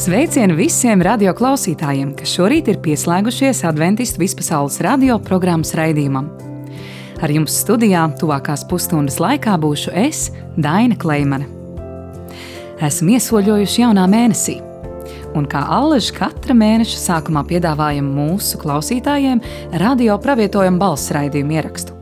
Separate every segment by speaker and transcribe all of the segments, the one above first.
Speaker 1: Sveicieni visiem radio klausītājiem, kas šorīt ir pieslēgušies Adventistu vispasaules radio programmas raidījumam. Ar jums studijā tuvākās pusstundas laikā būšu es, Daina Kleimane. Esam iesoļojuši jaunā mēnesī, un kā allaž katra mēneša sākumā piedāvājam mūsu klausītājiem radio pravietojumu balss raidījumu ierakstu.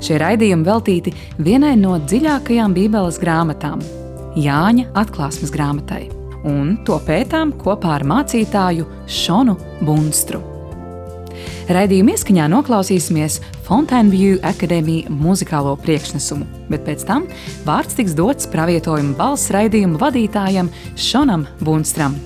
Speaker 1: Šie raidījumi veltīti vienai no dziļākajām Bībeles grāmatām – Jāņa atklāsmes grāmatai. Un to pētām kopā ar mācītāju Šonu Bunstru. Raidījuma ieskaņā noklausīsimies Fontaineview Academy muzikālo priekšnesumu, bet pēc tam vārds tiks dots pravietojuma balss raidījuma vadītājam Šonam Bunstram.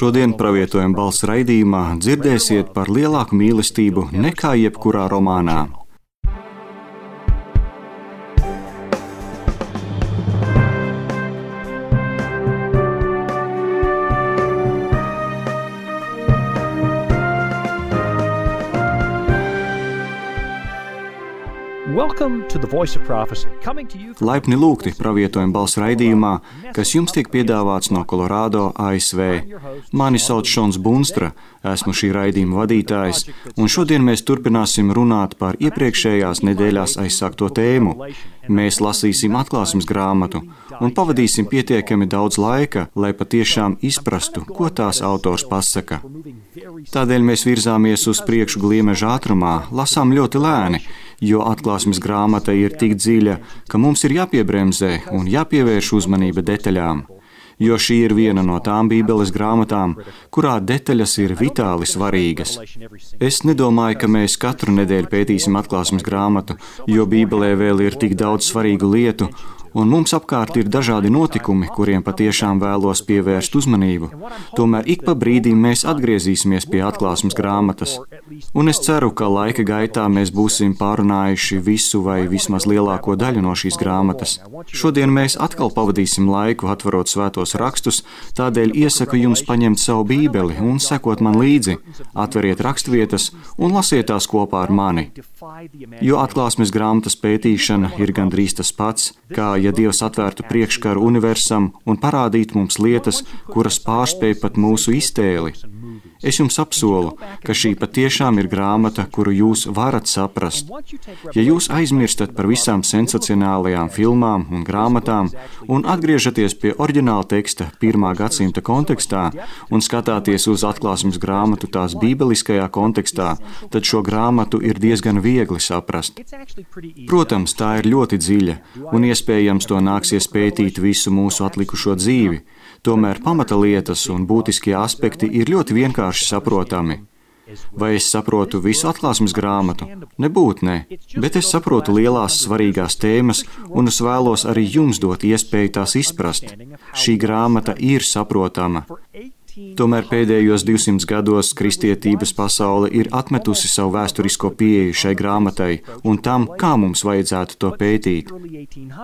Speaker 2: Šodien pravietojuma balss raidījumā dzirdēsiet par lielāku mīlestību nekā jebkurā romānā. Laipni lūgti pravietojuma balss raidījumā, kas jums tiek piedāvāts no Kolorādo, ASV. Mani sauc Šons Bunstra, esmu šī raidījuma vadītājs, un šodien mēs turpināsim runāt par iepriekšējās nedēļās aizsākto tēmu. Mēs lasīsim atklāsmes grāmatu un pavadīsim pietiekami daudz laika, lai patiešām izprastu, ko tās autors pasaka. Tādēļ mēs virzāmies uz priekšu gliemeža ātrumā, lasām ļoti lēni, jo atklāsmes grāmata ir tik dziļa, ka mums ir jāpiebremzē un jāpievērš uzmanība detaļām. Jo šī ir viena no tām Bībeles grāmatām, kurā detaļas ir vitāli svarīgas. Es nedomāju, ka mēs katru nedēļu pētīsim atklāsmes grāmatu, jo Bībelē vēl ir tik daudz svarīgu lietu, un mums apkārt ir dažādi notikumi, kuriem patiešām vēlos pievērst uzmanību. Tomēr ik pa brīdim mēs atgriezīsimies pie atklāsmes grāmatas. Un es ceru, ka laika gaitā mēs būsim pārunājuši visu vai vismaz lielāko daļu no šīs grāmatas. Šodien mēs atkal pavadīsim laiku atverot svētos rakstus, tādēļ iesaku jums paņemt savu Bībeli un sekot man līdzi. Atveriet raksturvietas un lasiet tās kopā ar mani. Jo atklāsmes grāmatas pētīšana ir gandrīz tas pats, kā ja Dievs atvērtu priekškaru universam un parādītu mums lietas, kuras pārspēj pat mūsu iztēli. Es jums apsolu, ka šī patiešām ir grāmata, kuru jūs varat saprast. Ja jūs aizmirstat par visām sensacionālajām filmām un grāmatām un atgriežaties pie oriģināla teksta 1. gadsimta kontekstā un skatāties uz atklāsmes grāmatu tās bībeliskajā kontekstā, tad šo grāmatu ir diezgan viegli saprast. Protams, tā ir ļoti dziļa, un iespējams to nāksies pētīt visu mūsu atlikušo dzīvi. Tomēr pamata lietas un būtiskie aspekti ir ļoti vienkārši saprotami. Vai es saprotu visu atklāsmes grāmatu? Nebūt ne, bet es saprotu lielās svarīgās tēmas, un es vēlos arī jums dot iespēju tās izprast. Šī grāmata ir saprotama. Tomēr pēdējos 200 gados kristietības pasaule ir atmetusi savu vēsturisko pieeju šai grāmatai un tam, kā mums vajadzētu to pētīt.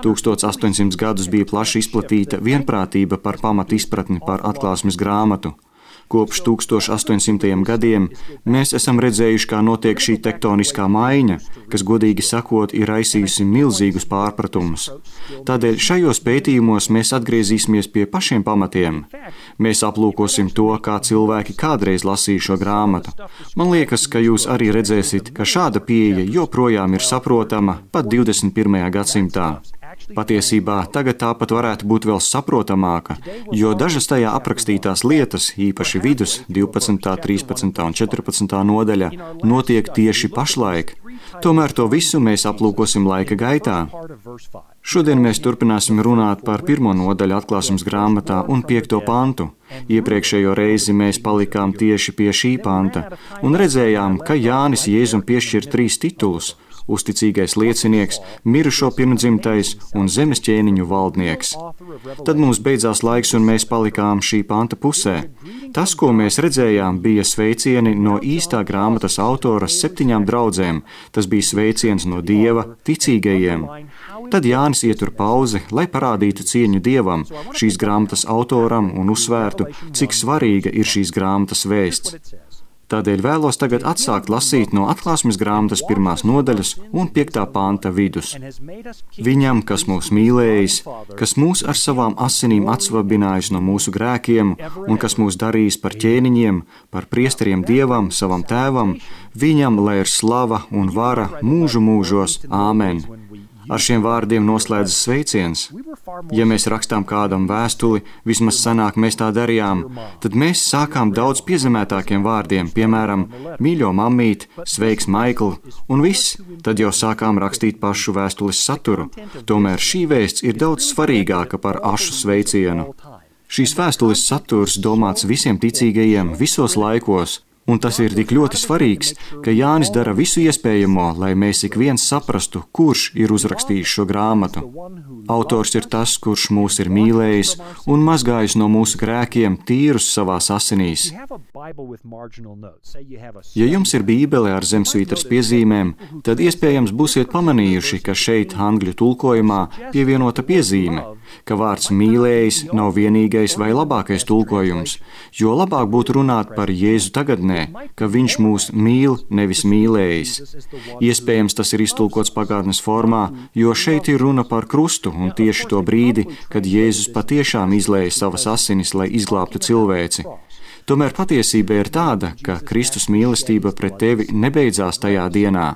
Speaker 2: 1800 gadus bija plaši izplatīta vienprātība par pamatu izpratni par atklāsmes grāmatu. Kopš 1800. gadiem mēs esam redzējuši, kā notiek šī tektoniskā maiņa, kas, godīgi sakot, ir raisījusi milzīgus pārpratumus. Tādēļ šajos pētījumos mēs atgriezīsimies pie pašiem pamatiem. Mēs aplūkosim to, kā cilvēki kādreiz lasīja šo grāmatu. Man liekas, ka jūs arī redzēsiet, ka šāda pieeja joprojām ir saprotama pat 21. gadsimtā. Patiesībā tagad tāpat varētu būt vēl saprotamāka, jo dažas tajā aprakstītās lietas, īpaši vidus, 12., 13. un 14. nodaļa, notiek tieši pašlaik. Tomēr to visu mēs aplūkosim laika gaitā. Šodien mēs turpināsim runāt par 1. nodaļu atklāsmes grāmatā un 5. pantu. Iepriekšējo reizi mēs palikām tieši pie šī panta un redzējām, ka Jānis Jēzum piešķir 3 titulus – uzticīgais liecinieks, mirušo pirmdzimtais un zemes ķēniņu valdnieks. Tad mums beidzās laiks un mēs palikām šī panta pusē. Tas, ko mēs redzējām, bija sveicieni no īstā grāmatas autoras 7 draudzēm. Tas bija sveiciens no Dieva ticīgajiem. Tad Jānis ietur pauzi, lai parādītu cieņu Dievam, šīs grāmatas autoram un uzsvērtu, cik svarīga ir šīs grāmatas vēsts. Tādēļ vēlos tagad atsākt lasīt no atklāsmes grāmatas 1. nodaļas un 5. panta vidus. Viņam, kas mūs mīlējis, kas mūs ar savām asinīm atsvabinājis no mūsu grēkiem un kas mūs darījis par ķēniņiem, par priesteriem Dievam, savam tēvam, viņam lai ir slava un vara mūžu mūžos. Āmen. Ar šiem vārdiem noslēdzas sveiciens. Ja mēs rakstām kādam vēstuli, vismaz sanāk mēs tā darījām, tad mēs sākām daudz piezemētākiem vārdiem, piemēram, mīļo mammīt, sveiks Maikl, un viss, tad jau sākām rakstīt pašu vēstules saturu. Tomēr šī vēsts ir daudz svarīgāka par ašu sveicienu. Šīs vēstules saturs domāts visiem ticīgajiem visos laikos. Un tas ir tik ļoti svarīgs, ka Jānis dara visu iespējamo, lai mēs ik viens saprastu, kurš ir uzrakstījis šo grāmatu. Autors ir tas, kurš mūs ir mīlējis un mazgājis no mūsu grēkiem tīrus savās asinīs. Ja jums ir bībele ar zemsvītras piezīmēm, tad iespējams būsiet pamanījuši, ka šeit angļu tulkojumā pievienota piezīme, ka vārds mīlējis nav vienīgais vai labākais tulkojums, jo labāk būtu runāt par Jēzu tagadnē, ka viņš mūs mīl, nevis mīlējis. Iespējams, tas ir iztulkots pagātnes formā, jo šeit ir runa par krustu un tieši to brīdi, kad Jēzus patiešām izlēja savas asinis, lai izglābtu cilvēci. Tomēr patiesība ir tāda, ka Kristus mīlestība pret tevi nebeidzās tajā dienā.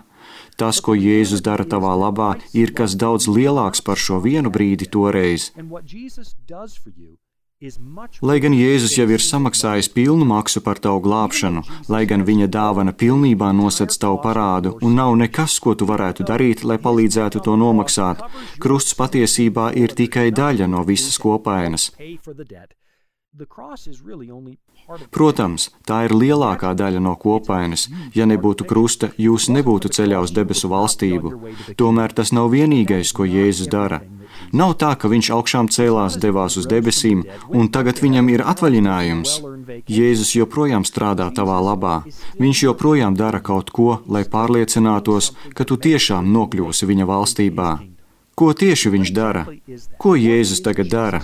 Speaker 2: Tas, ko Jēzus dara tavā labā, ir kas daudz lielāks par šo vienu brīdi toreiz. Lai gan Jēzus jau ir samaksājis pilnu maksu par tavu glābšanu, lai gan viņa dāvana pilnībā nosedz tavu parādu un nav nekas, ko tu varētu darīt, lai palīdzētu to nomaksāt, krusts patiesībā ir tikai daļa no visas kopainas. Protams, tā ir lielākā daļa no kopainas. Ja nebūtu krusta, jūs nebūtu ceļā uz debesu valstību. Tomēr tas nav vienīgais, ko Jēzus dara. Nav tā, ka viņš augšām cēlās, devās uz debesīm, un tagad viņam ir atvaļinājums. Jēzus joprojām strādā tavā labā. Viņš joprojām dara kaut ko, lai pārliecinātos, ka tu tiešām nokļūsi viņa valstībā. Ko tieši viņš dara? Ko Jēzus tagad dara?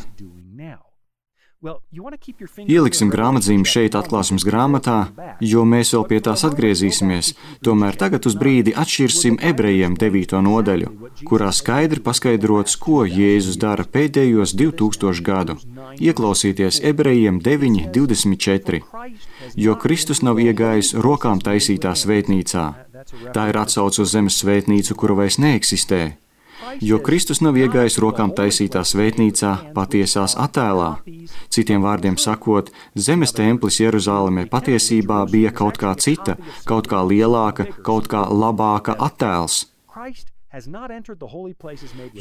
Speaker 2: Ieliksim grāmatzīmi šeit atklāsmes grāmatā, jo mēs vēl pie tās atgriezīsimies. Tomēr tagad uz brīdi atšķirsim Ebrejiem 9. nodaļu, kurā skaidri paskaidrots, ko Jēzus dara pēdējos 2000 gadu. Ieklausieties Ebrejiem 9:24. Jo Kristus nav iegājis rokām taisītā svētnīcā. Tā ir atsauce uz zemes svētnīcu, kura vairs neeksistē. Jo Kristus nav iegājis rokām taisītā svētnīcā, patiesās attēlā. Citiem vārdiem sakot, zemes templis Jeruzālemē patiesībā bija kaut kā cita, kaut kā lielāka, kaut kā labāka attēls.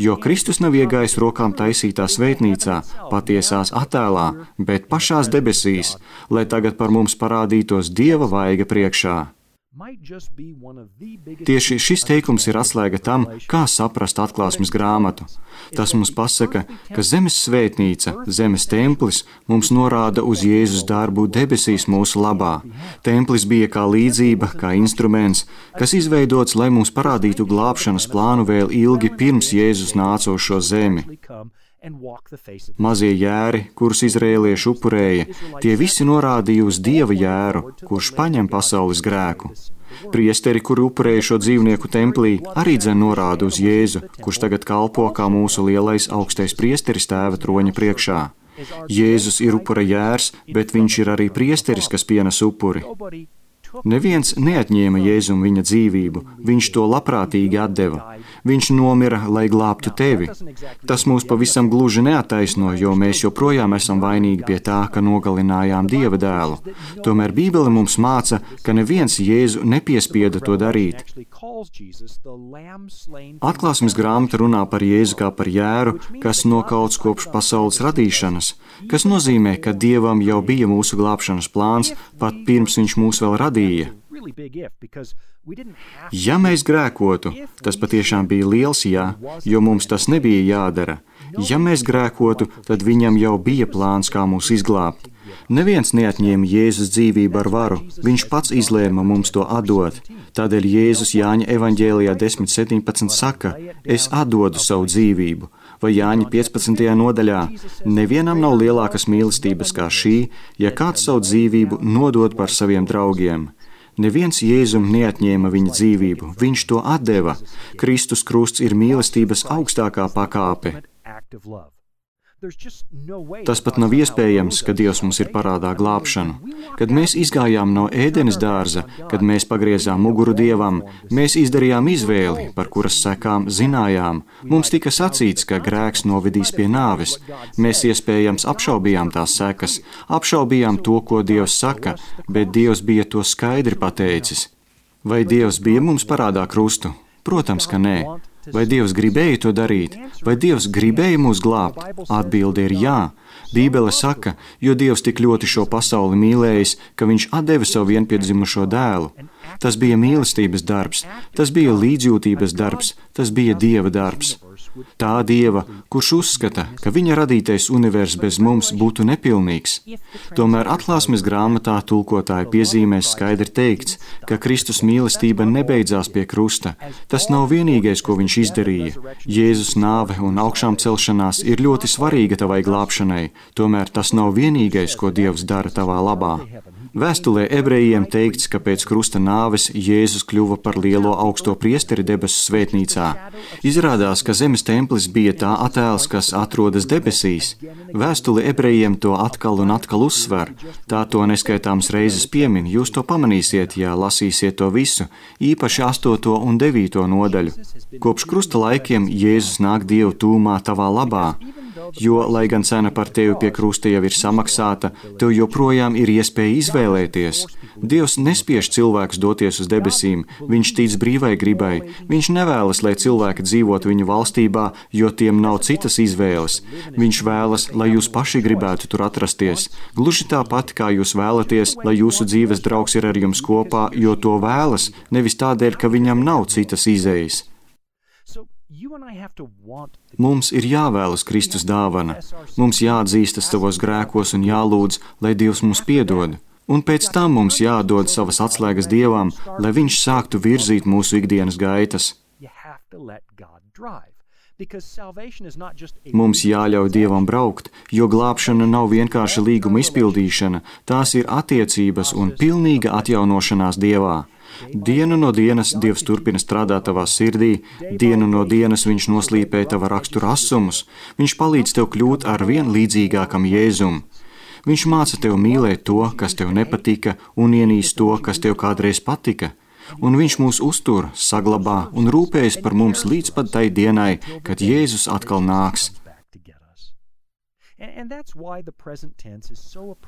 Speaker 2: Jo Kristus nav iegājis rokām taisītā svētnīcā, patiesās attēlā, bet pašās debesīs, lai tagad par mums parādītos Dieva vaiga priekšā. Tieši šis teikums ir atslēga tam, kā saprast atklāsmes grāmatu. Tas mums pasaka, ka zemes svētnīca, zemes templis mums norāda uz Jēzus darbu debesīs mūsu labā. Templis bija kā līdzība, kā instruments, kas izveidots, lai mums parādītu glābšanas plānu vēl ilgi pirms Jēzus nāca uz šo zemi. Mazie jēri, kurus izrēlieši upurēja, tie visi norādīja uz Dieva jēru, kurš paņem pasaules grēku. Priesteri, kuri upurēja šo dzīvnieku templī, arī dzen norāda uz Jēzu, kurš tagad kalpo kā mūsu lielais augstais priesteris Tēva troņa priekšā. Jēzus ir upura jērs, bet viņš ir arī priesteris, kas pienes upuri. Neviens neatņēma Jēzum viņa dzīvību, viņš to labprātīgi atdeva. Viņš nomira, lai glābtu tevi. Tas mūs pavisam gluži neattaisno, jo mēs joprojām esam vainīgi pie tā, ka nogalinājām Dieva dēlu. Tomēr Bībele mums māca, ka neviens Jēzu nepiespieda to darīt. Atklāsmes grāmata runā par Jēzu kā par jēru, kas nokauts kopš pasaules radīšanas, kas nozīmē, ka Dievam jau bija mūsu glābšanas plāns, pat pirms viņš mūs vēl radīja. Ja mēs grēkotu, tas patiešām bija liels jā, jo mums tas nebija jādara. Ja mēs grēkotu, tad viņam jau bija plāns, kā mūs izglābt. Neviens neatņēma Jēzus dzīvību ar varu, viņš pats izlēma mums to atdot. Tādēļ Jēzus Jāņa evaņģēlijā 10:17 saka, es atdodu savu dzīvību. Vai Jāņa 15. nodaļā, nevienam nav lielākas mīlestības kā šī, ja kāds savu dzīvību nodod par saviem draugiem. Neviens Jēzum neatņēma viņa dzīvību, viņš to atdeva. Kristus krusts ir mīlestības augstākā pakāpe. Tas pat nav iespējams, ka Dievs mums ir parādā glābšanu. Kad mēs izgājām no Ēdenes dārza, kad mēs pagriezām muguru Dievam, mēs izdarījām izvēli, par kuras sekām zinājām. Mums tika sacīts, ka grēks novedīs pie nāves. Mēs iespējams apšaubījām tās sekas, apšaubījām to, ko Dievs saka, bet Dievs bija to skaidri pateicis. Vai Dievs bija mums parādā krustu? Protams, ka nē. Vai Dievs gribēja to darīt? Vai Dievs gribēja mūs glābt? Atbilde ir jā. Bībele saka, jo Dievs tik ļoti šo pasauli mīlējis, ka viņš atdeva savu vienpiedzimušo dēlu. Tas bija mīlestības darbs, tas bija līdzjūtības darbs, tas bija Dieva darbs. Tā Dieva, kurš uzskata, ka viņa radītais universs bez mums būtu nepilnīgs. Tomēr atklāsmes grāmatā tulkotāja piezīmēs skaidri teikts, ka Kristus mīlestība nebeidzās pie krusta. Tas nav vienīgais, ko viņš izdarīja. Jēzus nāve un augšām celšanās ir ļoti svarīga tavai glābšanai, tomēr tas nav vienīgais, ko Dievs dara tavā labā. Vēstulē ebrejiem teikts, ka pēc krusta nāves Jēzus kļuva par lielo augsto priesteri debesu svētnīcā. Izrādās, ka zemes templis bija tā attēls, kas atrodas debesīs. Vēstule ebrejiem to atkal un atkal uzsver. Tā to neskaitāms reizes piemin, jūs to pamanīsiet, ja lasīsiet to visu, īpaši 8. un 9. nodaļu. Kopš krusta laikiem Jēzus nāk Dievu tūmā tavā labā. Jo, lai gan cena par tevi pie krusta jau ir samaksāta, tev joprojām ir iespēja izvēlēties. Dievs nespiež cilvēkus doties uz debesīm, viņš tic brīvai gribai. Viņš nevēlas, lai cilvēki dzīvotu viņa valstībā, jo tiem nav citas izvēles. Viņš vēlas, lai jūs paši gribētu tur atrasties. Gluži tāpat, kā jūs vēlaties, lai jūsu dzīves draugs ir ar jums kopā, jo to vēlas, nevis tādēļ, ka viņam nav citas izējas. Mums ir jāvēlas Kristus dāvana. Mums jāatzīstas savos grēkos un jālūdz, lai Dievs mums piedod. Un pēc tam mums jādod savas atslēgas Dievam, lai viņš sāktu virzīt mūsu ikdienas gaitas. Mums jāļauj Dievam braukt, jo glābšana nav vienkārši līguma izpildīšana, tās ir attiecības un pilnīga atjaunošanās Dievā. Dienu no dienas Dievs turpina strādāt tavā sirdī, dienu no dienas Viņš noslīpē tava rakstura asumus, Viņš palīdz tev kļūt ar vien līdzīgākam Jēzum. Viņš māca tev mīlēt to, kas tev nepatika, un ienīst to, kas tev kādreiz patika. Un Viņš mūs uztur, saglabā un rūpējas par mums līdz pat tai dienai, kad Jēzus atkal nāks.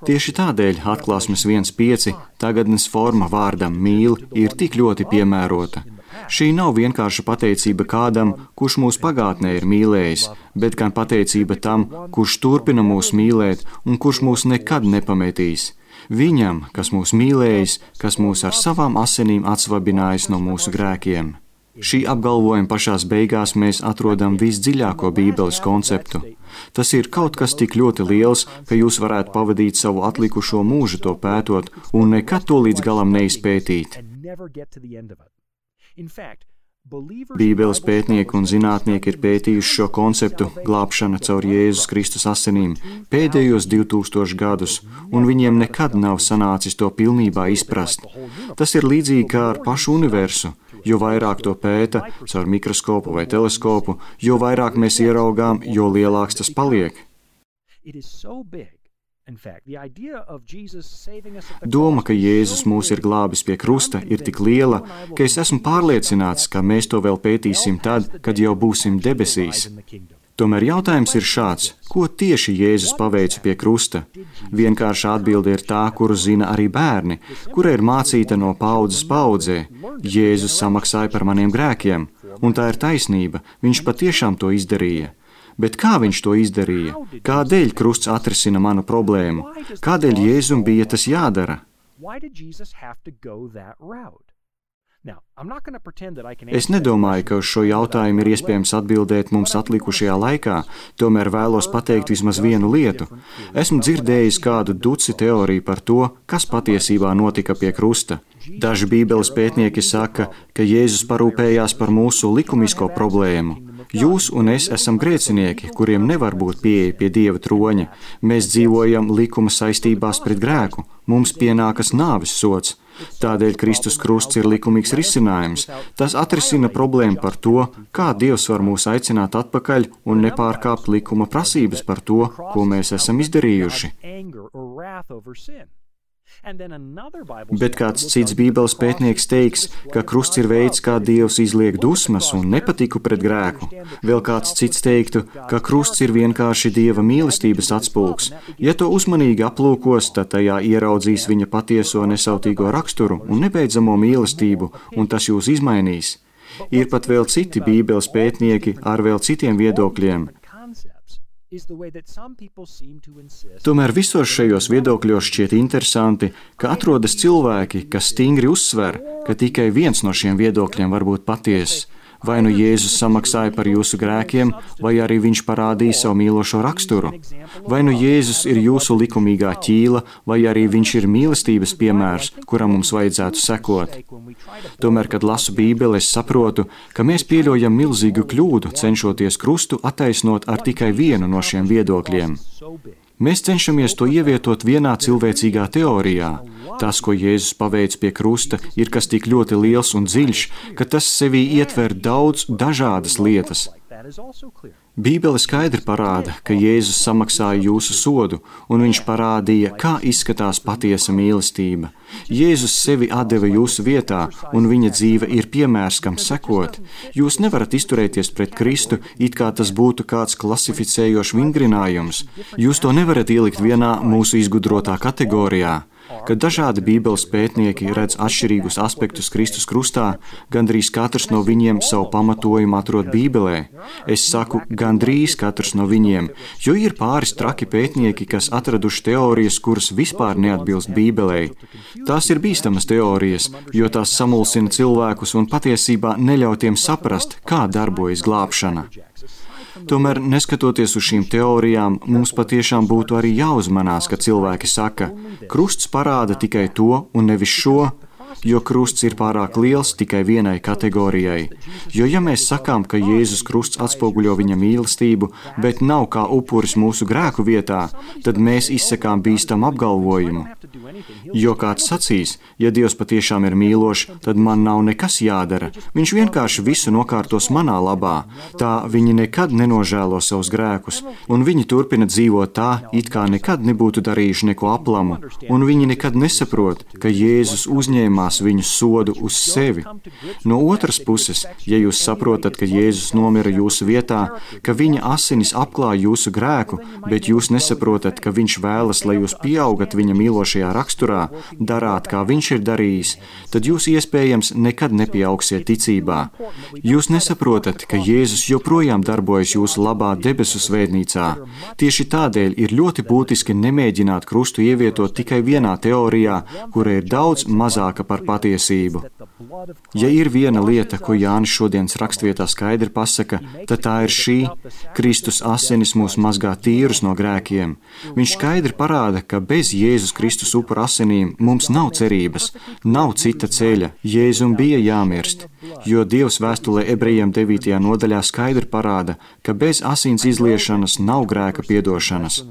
Speaker 2: Tieši tādēļ atklāsmes 1.5 tagadnes forma vārdam mīl ir tik ļoti piemērota. Šī nav vienkārši pateicība kādam, kurš mūs pagātnē ir mīlējis, bet gan pateicība tam, kurš turpina mūs mīlēt un kurš mūs nekad nepametīs. Viņam, kas mūs mīlējis, kas mūs ar savām asinīm atsvabinājis no mūsu grēkiem. Šī apgalvojuma pašās beigās mēs atrodam visdziļāko Bībeles konceptu. Tas ir kaut kas tik ļoti liels, ka jūs varētu pavadīt savu atlikušo mūžu to pētot un nekad to līdz galam neizpētīt. Bībeles pētnieki un zinātnieki ir pētījuši šo konceptu glābšana caur Jēzus Kristus asinīm pēdējos 2000 gadus, un viņiem nekad nav sanācis to pilnībā izprast. Tas ir līdzīgi kā ar pašu universu. Jo vairāk to pēta caur mikroskopu vai teleskopu, jo vairāk mēs ieraugām, jo lielāks tas paliek. Doma, ka Jēzus mūs ir glābis pie krusta, ir tik liela, ka es esmu pārliecināts, ka mēs to vēl pētīsim tad, kad jau būsim debesīs. Tomēr jautājums ir šāds: ko tieši Jēzus paveica pie krusta? Vienkārša atbilde ir tā, kuru zina arī bērni, kura ir mācīta no paaudzes paaudzē. Jēzus samaksāja par maniem grēkiem, un tā ir taisnība, viņš patiešām to izdarīja. Bet kā viņš to izdarīja? Kādēļ krusts atrisina manu problēmu? Kādēļ Jēzum bija tas jādara? Es nedomāju, ka uz šo jautājumu ir iespējams atbildēt mums atlikušajā laikā, tomēr vēlos pateikt vismaz vienu lietu. Esmu dzirdējis kādu duci teoriju par to, kas patiesībā notika pie krusta. Daži Bībeles pētnieki saka, ka Jēzus parūpējās par mūsu likumisko problēmu. Jūs un es esam grēcinieki, kuriem nevar būt pieeja pie Dieva troņa. Mēs dzīvojam likuma saistībās pret grēku. Mums pienākas nāves sods. Tādēļ Kristus krusts ir likumīgs risinājums. Tas atrisina problēmu par to, kā Dievs var mūs aicināt atpakaļ un nepārkāpt likuma prasības par to, ko mēs esam izdarījuši. Bet kāds cits Bībeles pētnieks teiks, ka krusts ir veids, kā Dievs izliek dusmas un nepatiku pret grēku. Vēl kāds cits teiktu, ka krusts ir vienkārši Dieva mīlestības atspulgs. Ja to uzmanīgi aplūkos, tad tajā ieraudzīs viņa patieso nesautīgo raksturu un nebeidzamo mīlestību, un tas jūs izmainīs. Ir pat vēl citi Bībeles pētnieki ar vēl citiem viedokļiem. Tomēr visos šajos viedokļos šķiet interesanti, ka atrodas cilvēki, kas stingri uzsver, ka tikai viens no šiem viedokļiem var būt patiess. Vai nu Jēzus samaksāja par jūsu grēkiem, vai arī viņš parādīja savu mīlošo raksturu. Vai nu Jēzus ir jūsu likumīgā ķīla, vai arī viņš ir mīlestības piemērs, kuram mums vajadzētu sekot. Tomēr, kad lasu Bībeli, es saprotu, ka mēs pieļaujam milzīgu kļūdu, cenšoties krustu attaisnot ar tikai vienu no šiem viedokļiem. Mēs cenšamies to ievietot vienā cilvēcīgā teorijā. Tas, ko Jēzus paveic pie krusta, ir kas tik ļoti liels un dziļš, ka tas sevī ietver daudz dažādas lietas. Bībele skaidri parāda, ka Jēzus samaksāja jūsu sodu, un viņš parādīja, kā izskatās patiesa mīlestība. Jēzus sevi atdeva jūsu vietā, un viņa dzīve ir piemērs, kam sekot. Jūs nevarat izturēties pret Kristu, it kā tas būtu kāds klasificējošs vingrinājums. Jūs to nevarat ielikt vienā mūsu izgudrotā kategorijā. Kad dažādi Bībeles pētnieki redz atšķirīgus aspektus Kristus krustā, gandrīz katrs no viņiem savu pamatojumu atrod Bībelē. Es saku, gandrīz katrs no viņiem, jo ir pāris traki pētnieki, kas atraduši teorijas, kuras vispār neatbilst Bībelei. Tās ir bīstamas teorijas, jo tās samulsina cilvēkus un patiesībā neļauj tiem saprast, kā darbojas glābšana. Tomēr, neskatoties uz šīm teorijām, mums patiešām būtu arī jāuzmanās, ka cilvēki saka, krusts parāda tikai to un nevis šo. jo krusts ir pārāk liels tikai vienai kategorijai. Jo ja mēs sakām, ka Jēzus krusts atspoguļo viņa mīlestību, bet nav kā upuris mūsu grēku vietā, tad mēs izsakām bīstam apgalvojumu. Jo kāds sacīs, ja Dievs patiešām ir mīlošs, tad man nav nekas jādara. Viņš vienkārši visu nokārtos manā labā. Tā viņi nekad nenožēlo savus grēkus, un viņi turpina dzīvot tā, it kā nekad nebūtu darījuši neko aplamu, un viņi nekad nesaprot, ka Jēzus uzņēmās viņu sodu uz sevi. No otras puses, ja jūs saprotat, ka Jēzus nomira jūsu vietā, ka viņa asinis apklāj jūsu grēku, bet jūs nesaprotat, ka viņš vēlas, lai jūs pieaugat viņa mīlošajā raksturā, darāt, kā viņš ir darījis, tad jūs iespējams nekad nepieaugsiet ticībā. Jūs nesaprotat, ka Jēzus joprojām darbojas jūsu labā debesu svētnīcā. Tieši tādēļ ir ļoti būtiski nemēģināt krustu ievietot tikai vienā teorijā, kura ir daudz mazāka par patiesību. Ja ir viena lieta, ko Jānis šodienas rakstvietā skaidri pasaka, tad tā ir šī: Kristus asinis mūs mazgā tīrus no grēkiem. Viņš skaidri parāda, ka bez Jēzus Kristus upura asinīm mums nav cerības, nav cita ceļa. Jēzum bija jāmirst, jo Dievs vēstulē Ebrejiem 9. nodaļā skaidri parāda, ka bez asins izliešanas nav grēka piedošanas.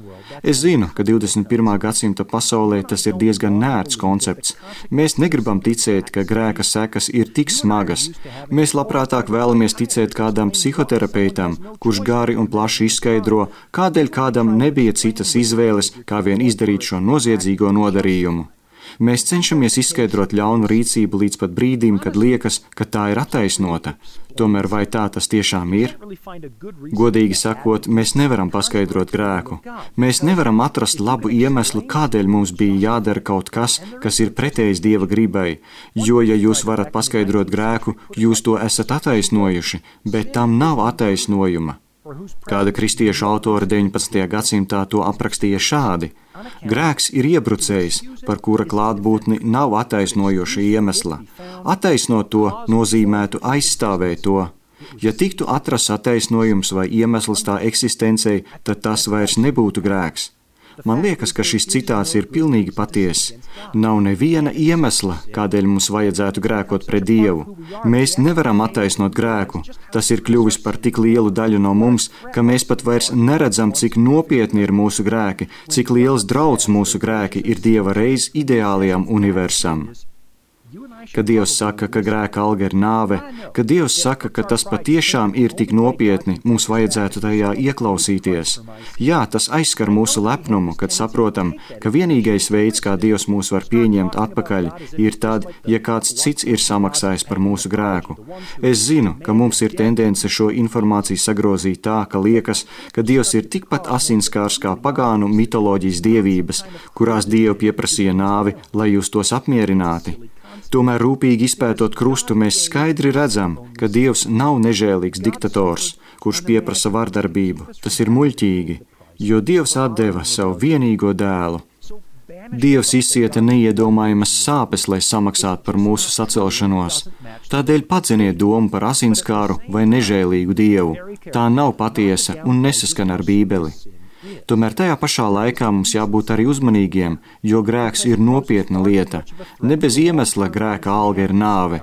Speaker 2: Es zinu, ka 21. gadsimta pasaulē tas ir diezgan nērts koncepts. Mēs negribam ticēt, ka grēka sekas ir tik smagas. Mēs labprātāk vēlamies ticēt kādam psihoterapeitam, kurš gari un plaši izskaidro, kādēļ kādam nebija citas izvēles, kā vien izdarīt šo noziedzīgo nodarījumu. Mēs cenšamies izskaidrot ļaunu rīcību līdz pat brīdim, kad liekas, ka tā ir attaisnota. Tomēr vai tā tas tiešām ir? Godīgi sakot, mēs nevaram paskaidrot grēku. Mēs nevaram atrast labu iemeslu, kādēļ mums bija jādara kaut kas, kas ir pretējs Dieva gribai. Jo, ja jūs varat paskaidrot grēku, jūs to esat attaisnojuši, bet tam nav attaisnojuma. Kāda kristiešu autora 19. gadsimtā to aprakstīja šādi: grēks ir iebrucējs, par kura klātbūtni nav attaisnojoša iemesla. Attaisnot to nozīmētu aizstāvēt to. Ja tiktu atrasts attaisnojums vai iemesls tā eksistencei, tad tas vairs nebūtu grēks. Man liekas, ka šis citāts ir pilnīgi patiess. Nav neviena iemesla, kādēļ mums vajadzētu grēkot pret Dievu. Mēs nevaram attaisnot grēku. Tas ir kļuvis par tik lielu daļu no mums, ka mēs pat vairs neredzam, cik nopietni ir mūsu grēki, cik liels drauds mūsu grēki ir Dieva reiz ideālajam universam. Kad Dievs saka, ka grēka alga ir nāve, kad Dievs saka, ka tas patiešām ir tik nopietni, mums vajadzētu tajā ieklausīties. Jā, tas aizskar mūsu lepnumu, kad saprotam, ka vienīgais veids, kā Dievs mūs var pieņemt atpakaļ, ir tad, ja kāds cits ir samaksājis par mūsu grēku. Es zinu, ka mums ir tendence šo informāciju sagrozīt tā, ka liekas, ka Dievs ir tikpat asinskārs kā pagānu mitoloģijas dievības, kurās Dievu pieprasīja nāvi, lai jūs tos apmierināti. Tomēr rūpīgi izpētot krustu, mēs skaidri redzam, ka Dievs nav nežēlīgs diktators, kurš pieprasa vardarbību. Tas ir muļķīgi, jo Dievs atdeva savu vienīgo dēlu. Dievs izcieta neiedomājamas sāpes, lai samaksātu par mūsu sacelšanos. Tādēļ padzeniet domu par asinskāru vai nežēlīgu Dievu. Tā nav patiesa un nesaskan ar Bībeli. Tomēr tajā pašā laikā mums jābūt arī uzmanīgiem, jo grēks ir nopietna lieta. Ne bez iemesla grēka alga ir nāve,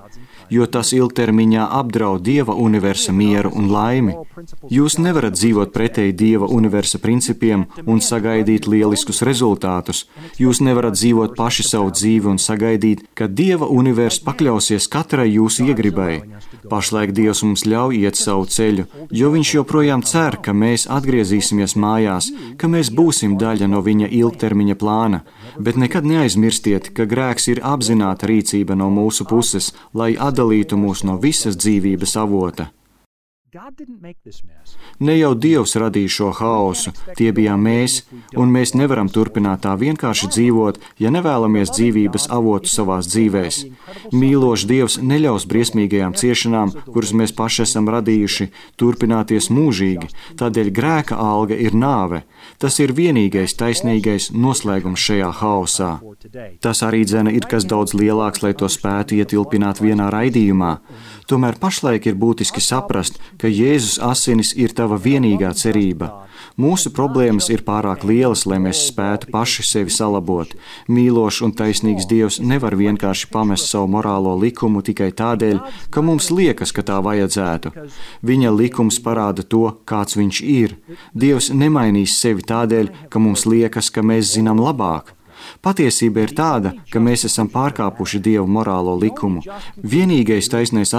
Speaker 2: jo tas ilgtermiņā apdraud Dieva universa mieru un laimi. Jūs nevarat dzīvot pretēji Dieva universa principiem un sagaidīt lieliskus rezultātus. Jūs nevarat dzīvot paši savu dzīvi un sagaidīt, ka Dieva univers pakļausies katrai jūsu iegribai. Pašlaik Dievs mums ļauj iet savu ceļu, jo Viņš joprojām cer, ka mēs atgriezīsimies mājās, ka mēs būsim daļa no Viņa ilgtermiņa plāna. Bet nekad neaizmirstiet, ka grēks ir apzināta rīcība no mūsu puses, lai atdalītu mūs no visas dzīvības avota. Ne jau Dievs radīja šo haosu, tie bijām mēs, un mēs nevaram turpināt tā vienkārši dzīvot, ja nevēlamies dzīvības avotu savās dzīvēs. Mīlošs Dievs neļaus briesmīgajām ciešanām, kuras mēs paši esam radījuši, turpināties mūžīgi, tādēļ grēka alga ir nāve. Tas ir vienīgais taisnīgais noslēgums šajā haosā. Tas arī dzene ir kas daudz lielāks, lai to spētu ietilpināt vienā raidījumā. Tomēr pašlaik ir būtiski saprast, ka Jēzus asinis ir tava vienīgā cerība. Mūsu problēmas ir pārāk lielas, lai mēs spētu paši sevi salabot. Mīlošs un taisnīgs Dievs nevar vienkārši pamest savu morālo likumu tikai tādēļ, ka mums liekas, ka tā vajadzētu. Viņa likums parāda to, kāds viņš ir. Dievs nemainīs sevi tādēļ, ka mums liekas, ka mēs zinām labāk. Patiesība ir tāda, ka mēs esam pārkāpuši Dieva morālo likumu. Vienīgais taisnīgais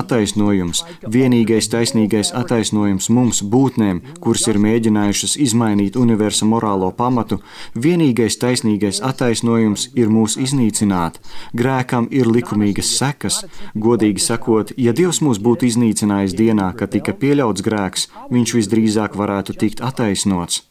Speaker 2: attaisnojums mums, būtnēm, kuras ir mēģinājušas izmainīt universa morālo pamatu, vienīgais taisnīgais attaisnojums ir mūs iznīcināt. Grēkam ir likumīgas sekas. Godīgi sakot, ja Dievs mūs būtu iznīcinājis dienā, kad tika pieļauts grēks, viņš visdrīzāk varētu tikt attaisnots.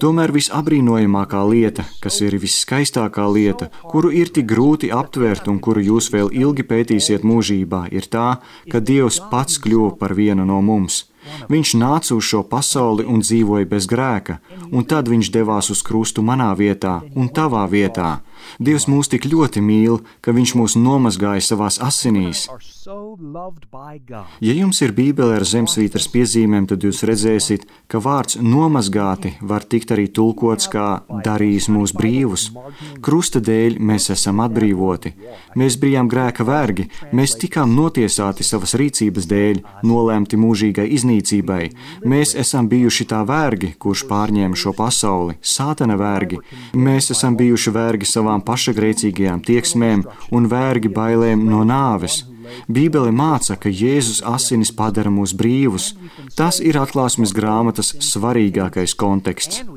Speaker 2: Tomēr visabrīnojamākā lieta, kas ir visskaistākā lieta, kuru ir tik grūti aptvert un kuru jūs vēl ilgi pētīsiet mūžībā, ir tā, ka Dievs pats kļuva par vienu no mums. Viņš nāca uz šo pasauli un dzīvoja bez grēka, un tad viņš devās uz krustu manā vietā un tavā vietā. Dievs mūs tik ļoti mīl, ka viņš mūs nomazgāja savās asinīs. Ja jums ir Bībele ar zemesvītras piezīmēm, tad jūs redzēsiet, ka vārds nomazgāti var tikt arī tulkots kā darījis mūs brīvus. Krusta dēļ mēs esam atbrīvoti. Mēs bijām grēka vergi, mēs tikām notiesāti savas rīcības dēļ, nolēmti mūžīgai iznīcībai. Mēs esam bijuši tā vergi, kurš pārņēma šo pasauli, Sātana vergi. Mēs esam bijuši vergi savām pašagrēcīgajām tieksmēm un vergi bailēm no nāves. Bībele māca, ka Jēzus asinis padara mūs brīvus. Tas ir Atklāsmes grāmatas svarīgākais konteksts.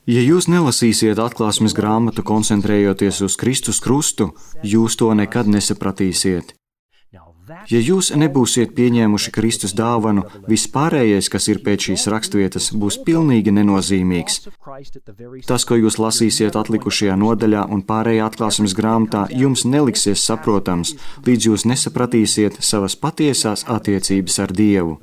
Speaker 2: Ja jūs nelasīsiet Atklāsmes grāmatu koncentrējoties uz Kristus krustu, jūs to nekad nesapratīsiet. Ja jūs nebūsiet pieņēmuši Kristus dāvanu, vispārējais, kas ir pēc šīs raksturvietas, būs pilnīgi nenozīmīgs. Tas, ko jūs lasīsiet atlikušajā nodaļā un pārējā Atklāsmes grāmatā, jums neliksies saprotams, līdz jūs nesapratīsiet savas patiesās attiecības ar Dievu.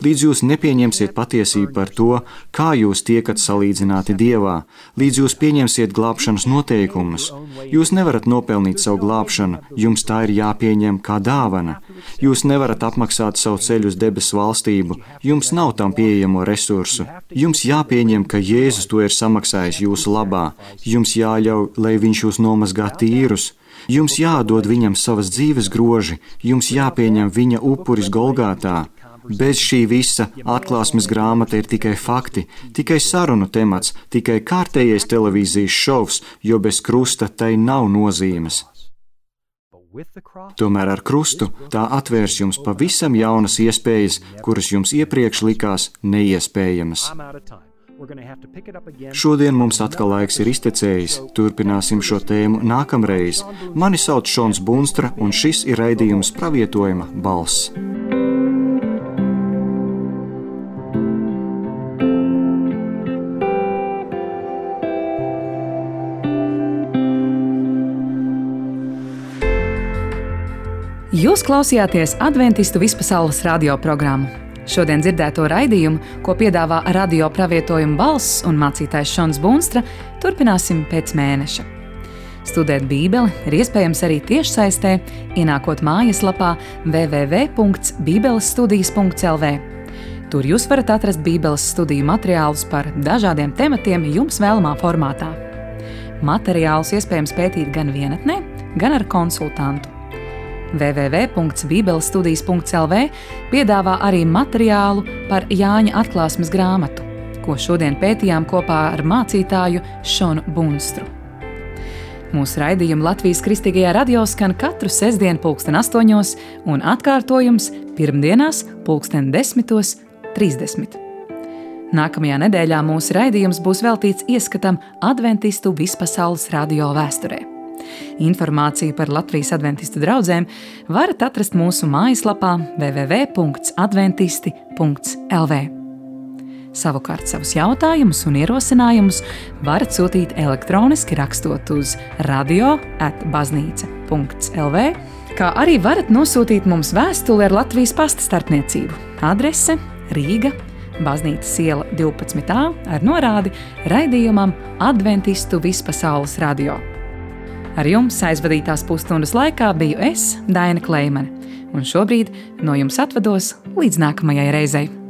Speaker 2: Līdz jūs nepieņemsiet patiesību par to, kā jūs tiekat salīdzināti Dievā, līdz jūs pieņemsiet glābšanas noteikumus. Jūs nevarat nopelnīt savu glābšanu, jums tā ir jāpieņem kā dāvana. Jūs nevarat apmaksāt savu ceļu uz debesu valstību, jums nav tam pieejamo resursu. Jums jāpieņem, ka Jēzus to ir samaksājis jūsu labā. Jums jāļauj, lai viņš jūs nomazgā tīrus. Jums jādod viņam savas dzīves groži, jums jāpieņem viņa upuris Golgātā. Bez šī visa Atklāsmes grāmata ir tikai fakti, tikai sarunu temats, tikai kārtējais televīzijas šovs, jo bez krusta tai nav nozīmes. Tomēr ar krustu tā atvērs jums pavisam jaunas iespējas, kuras jums iepriekš likās neiespējamas. Šodien mums atkal laiks ir iztecējis. Turpināsim šo tēmu nākamreiz. Mani sauc Šons Bunstra, un šis ir raidījums Pravietojuma balss.
Speaker 1: Jūs klausījāties Adventistu vispasaules radioprogrammu. Šodien dzirdēto raidījumu, ko piedāvā Radio Pravietojuma balss un mācītājs Šons Bunstra, turpināsim pēc mēneša. Studēt Bībeli ir iespējams arī tiešsaistē, ienākot mājaslapā www.bībelesstudijas.lv. Tur jūs varat atrast Bībeles studiju materiālus par dažādiem tematiem jums vēlamā formātā. Materiālus iespējams pētīt gan vienatnē, gan ar konsultantu. www.bībelestudijas.lv piedāvā arī materiālu par Jāņa atklāsmes grāmatu, ko šodien pētījām kopā ar mācītāju Šonu Bunstru. Mūsu raidījumi Latvijas Kristīgajā radio skan katru sestdienu 8:00 un atkārtojums pirmdienās 10:30. Nākamajā nedēļā mūsu raidījums būs veltīts ieskatam Adventistu vispasaules radio vēsturē. Informāciju par Latvijas adventistu draudzēm varat atrast mūsu mājaslapā www.adventisti.lv. Savukārt savus jautājumus un ierosinājumus varat sūtīt elektroniski rakstot uz radio@baznīca.lv, kā arī varat nosūtīt mums vēstuli ar Latvijas pasta starpniecību. Adrese Rīga, Baznīcas iela 12A ar norādi raidījumam Adventistu vispasaules radio. Ar jums aizvadītās pusstundas laikā biju es, Daina Kleimane, un šobrīd no jums atvados līdz nākamajai reizei.